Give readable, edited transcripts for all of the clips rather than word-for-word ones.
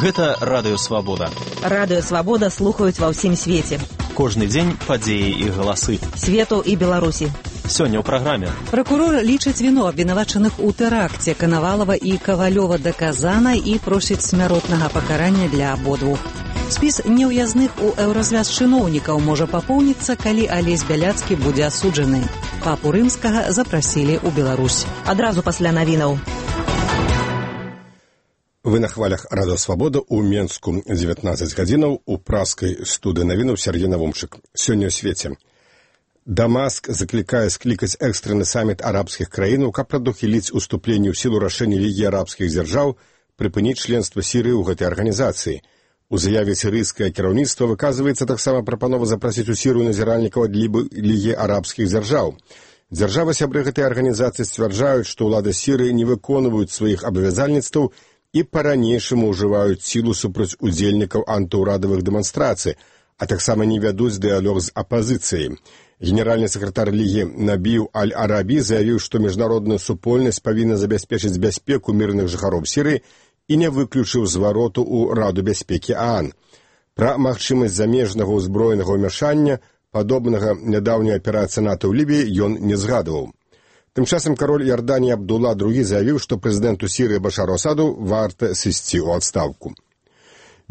Гэта Радыё Свабода. Радыё Свабода слухаюць ва ўсім свеце. Кожны дзень падзеі і галасы. Свету і Беларусі. Сёння ў праграме. Пракурор лічыць віну абвінавачаных у тэракце Канавалова і Кавалёва даказана і просіць смяротнага пакарання для абодвух. Спіс неўязных у еўразвяз чыноўнікаў можа папоўніцца, калі Алесь Бяляцкі будзе асуджаны. Папу Рымскага запрасілі ў Беларусь. Адразу пасля навінаў. Вы на хвалях Радыё Свабода ў Менску 19 гадзінаў у праскай студыі навінаў Сергей Навумчык. Сёння ў свеце. Дамаск заклікае склікаць экстраны саміт арабскіх краінаў, каб прадухіліць уступленне ў сілу рашэння Лігі арабскіх дзяржаў прыпыніць членства Сірыі ў гэтай арганізацыі. У заяве сірыйскае кіраўніцтва выказваецца таксама прапанова запрасіць у Сірыю назіральнікаў ад Лігі арабскіх дзяржаў. Дзяржавы-сябры гэтай арганізацыі сцвярджаюць, што ўлады Сірыі не выконваюць сваіх абавязальніцтваў і па-ранейшаму ўжываюць сілу супраць удзельнікаў антыўрадавых дэманстрацый, а таксама не вядуць дыялог з апазіцыяй. Генеральны сакратар Лігі Набіў Аль-Арабі заявіў, што міжнародная супольнасць павінна забяспечыць бяспеку мірных жыхароў Сірыі і не выключыў звароту ў Раду бяспекі ААН. Пра магчымасць замежнага ўзброенага ўмяшання, падобнага нядаўняй аперацыі НАТО ў Лібіі, ён не згадваў. Тым часам кароль Іорданіі Абдулла II заявіў, што прэзідэнту Сірыі Башару Асаду варта сысці ў адстаўку.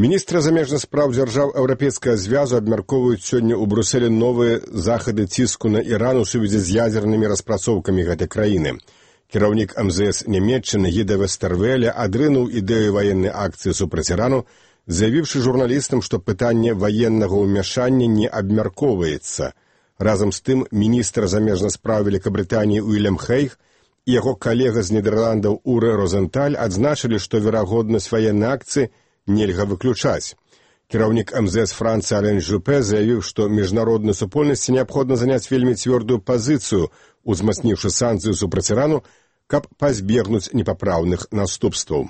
Міністры замежных спраў дзяржаў Еўрапейскага звязу абмяркоўваюць сёння ў Брусэлі новыя захады ціску на Іран у сувязі з ядзернымі распрацоўкамі гэтай краіны. Кіраўнік МЗС Нямецчыны Гіда Вестэрвеля адрынуў ідэю ваеннай акцыі супраць Ірану, заявіўшы журналістам, што пытанне ваеннага ўмяшання не абмяркоўваецца. Разам з тым, міністр замежных спраў Великабрытаніі Уильям Хейг і яго калега з Нідерландаў Уре Розенталь адзначылі, што верагоднасць ваеннай акцыі нельга выключаць. Кіраўнік МЗС Францыі Ален Жупе заявіў, што міжнароднай супольнасці неабходна заняць вельмі цвёрдую пазіцыю, узмацніўшы санкцыю супраць Ірану, каб пазбегнуць непапраўных наступстваў.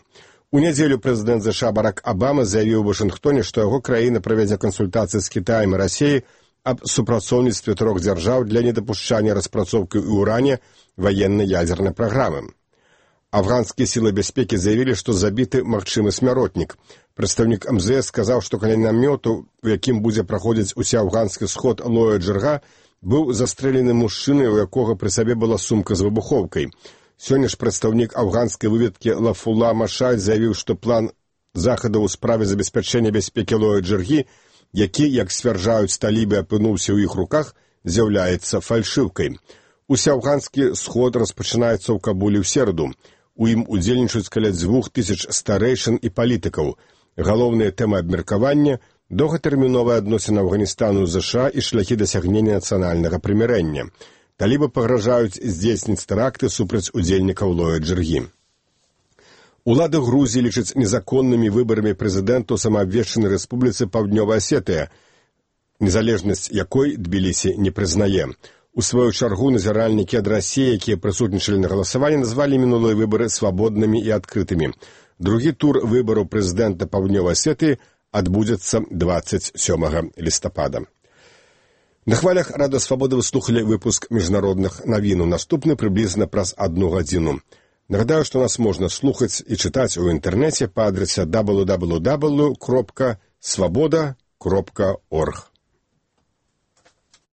У нядзелю прэзідэнт ЗША Барак Абама заявіў у Вашынгтоне, што яго краіна правядзе кансультацыі з Кітаем і Расіяй аб супрацоўніцтве трох дзяржаў для недапушчання распрацоўкі ў Уране ваеннай ядзернай праграмы. Афганскія сілы бяспекі заявілі, што забіты магчымы смяротнік. Прадстаўнік МЗС сказаў, што каля намёту, у якім будзе праходзіць усеафганскі сход Лоя Джырга, быў застрэлены мужчына, у якога пры сабе была сумка з выбухоўкай. Сёння ж прадстаўнік афганскай выведкі Лафула Машаль заявіў, што план захадаў у справе забеспячэння бяспекі Лоя Джыргі, які, як сцвярджаюць талібы, апынуўся ў іх руках, з'яўляецца фальшыўкай. Усеафганскі сход распачынаецца ў Кабулі ў сераду. У ім удзельнічаюць каля 2000 старэйшын і палітыкаў. Галоўная тэма абмеркавання – доўгатэрміновая адносіна Афганістану з ЗША і шляхі дасягнення нацыянальнага прымірэння. Талібы пагражаюць здзейсніць тэракты супраць удзельнікаў Лоя Джыргі. Улады Грузіі лічаць незаконнымі выбарамі прэзідэнту самаабвешчанай рэспубліцы Паўднёвая Асетыя, незалежнасць якой Тбілісі не прызнае. У сваю чаргу назіральнікі ад Расіі, якія прысутнічалі на галасаванні, назвалі мінулыя выбары свабоднымі і адкрытымі. Другі тур выбараў прэзідэнта Паўднёвай Асетыі адбудзецца 27 лістапада. На хвалях Радыё Свабода вы слухалі выпуск міжнародных навінаў. Наступны прыблізна праз 1 гадзіну. Нагадаю, што нас можна слухаць і чытаць у інтэрнэце па адрасе www.svoboda.org.